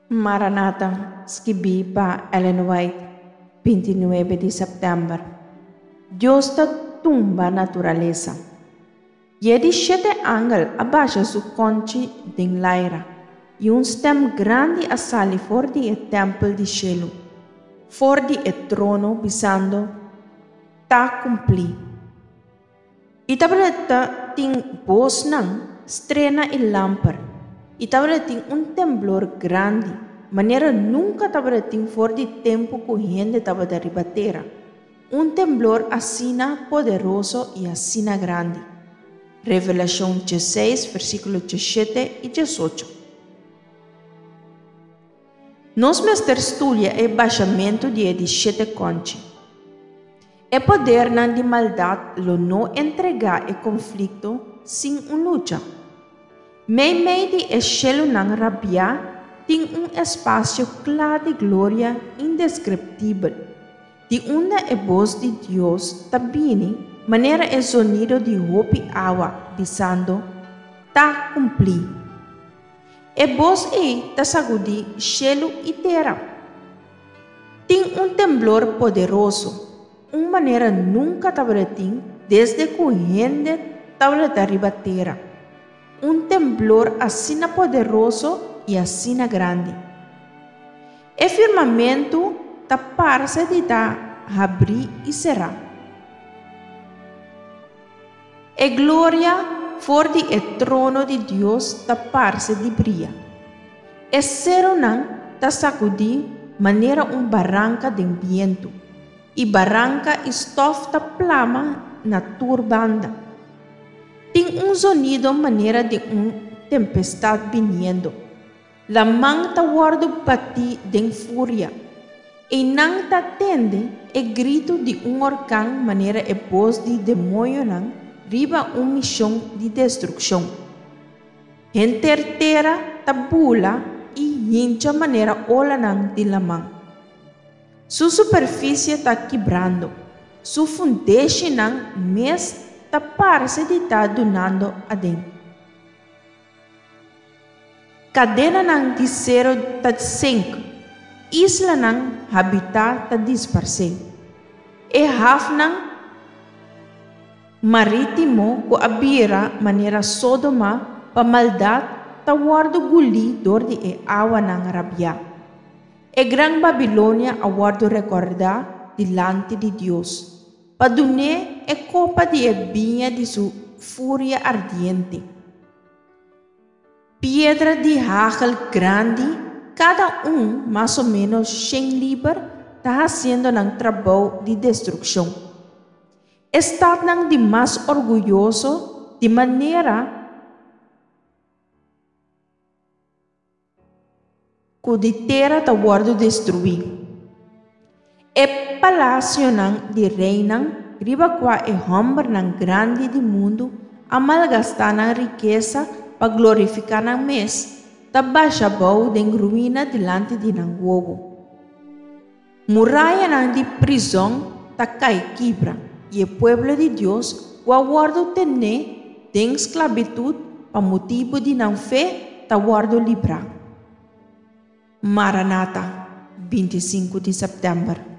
Maranata, skibí pa Ellen White, 29 di sèptèmber. Dios ta tumba naturalesa. I e di shete angel a basha su kònchi den laira, i un stèm grandi a sali for di e tèmpel di shelu, for di e trono, bisando, Ta kumplí. I tabata tin bosnan, strena i lamper, i tabata tin un temblor grandi, manera nunka tabata tin for di tempu ku hende tabata riba tera, un temblor asina poderoso i asina grandi. Revelashon diesseis, versíkulo diesshete i diesocho. Nos mester studia e bashamentu di e di shete kònchi. E podernan di maldat lo no entregá e konflikto sin un lucha. Meimei di e shelunan rabiá tin un espasio kla di gloria indeskriptibel, di unda e bos di Dios ta bini manera e zonido di hopi awa, bisando, Ta kumplí! E bos ei ta sagudí shelu i tera. Tin un temblor poderoso, un manera nunka tabatin desde ku hende tabata riba tera, un temblor asina poderoso i asina grandi. E firmamentu ta parse di ta habrí i será. E gloria for di e trono di Dios ta parse di bria. E serunan ta sakudí manera un baranka den bientu, i baranka i stòf ta plama na tur banda. Tin un zonido manera di un tempestat biniendo. Laman ta wòrdu batí den furia. Einan ta tende e gritu di un orkan manera e bos di demoñonan riba un mishon di destrukshon. Henter tera ta bula i hincha manera olanan di laman. Su superfisie ta kibrando, su fundeshinan mes ta parse di ta dunando aden. Kadenanan di sero ta sink, islanan habitá ta disparsé. E hafnan marítimo ku a bira manera Sódoma pa maldat ta wòrdu gulí dor di e awanan rabiá. E Gran Babilonia a wòrdu rekordá dilanti di Dios, pa dun'é e kopa di e biña di su furia ardiente. Piedra di hagel grandi, kada un mas o ménos shen liber, ta hasiendo nan trabou di destrukshon. E statnan di mas orguyoso, di manera ku di tera ta wòrdu destruí. E palasionan di reinan riba kua e hòmbernan grandi di mundu a malgastá nan rikesa pa glorifiká nan mes, ta basha bou den ruina dilanti di nan wowo. Murayanan di prizòn ta kai kibra, i e pueblo di Dios ku a wòrdu tené den sklabitut pa motibu di nan fe ta wòrdu librá. Maranata, 25 di sèptèmber.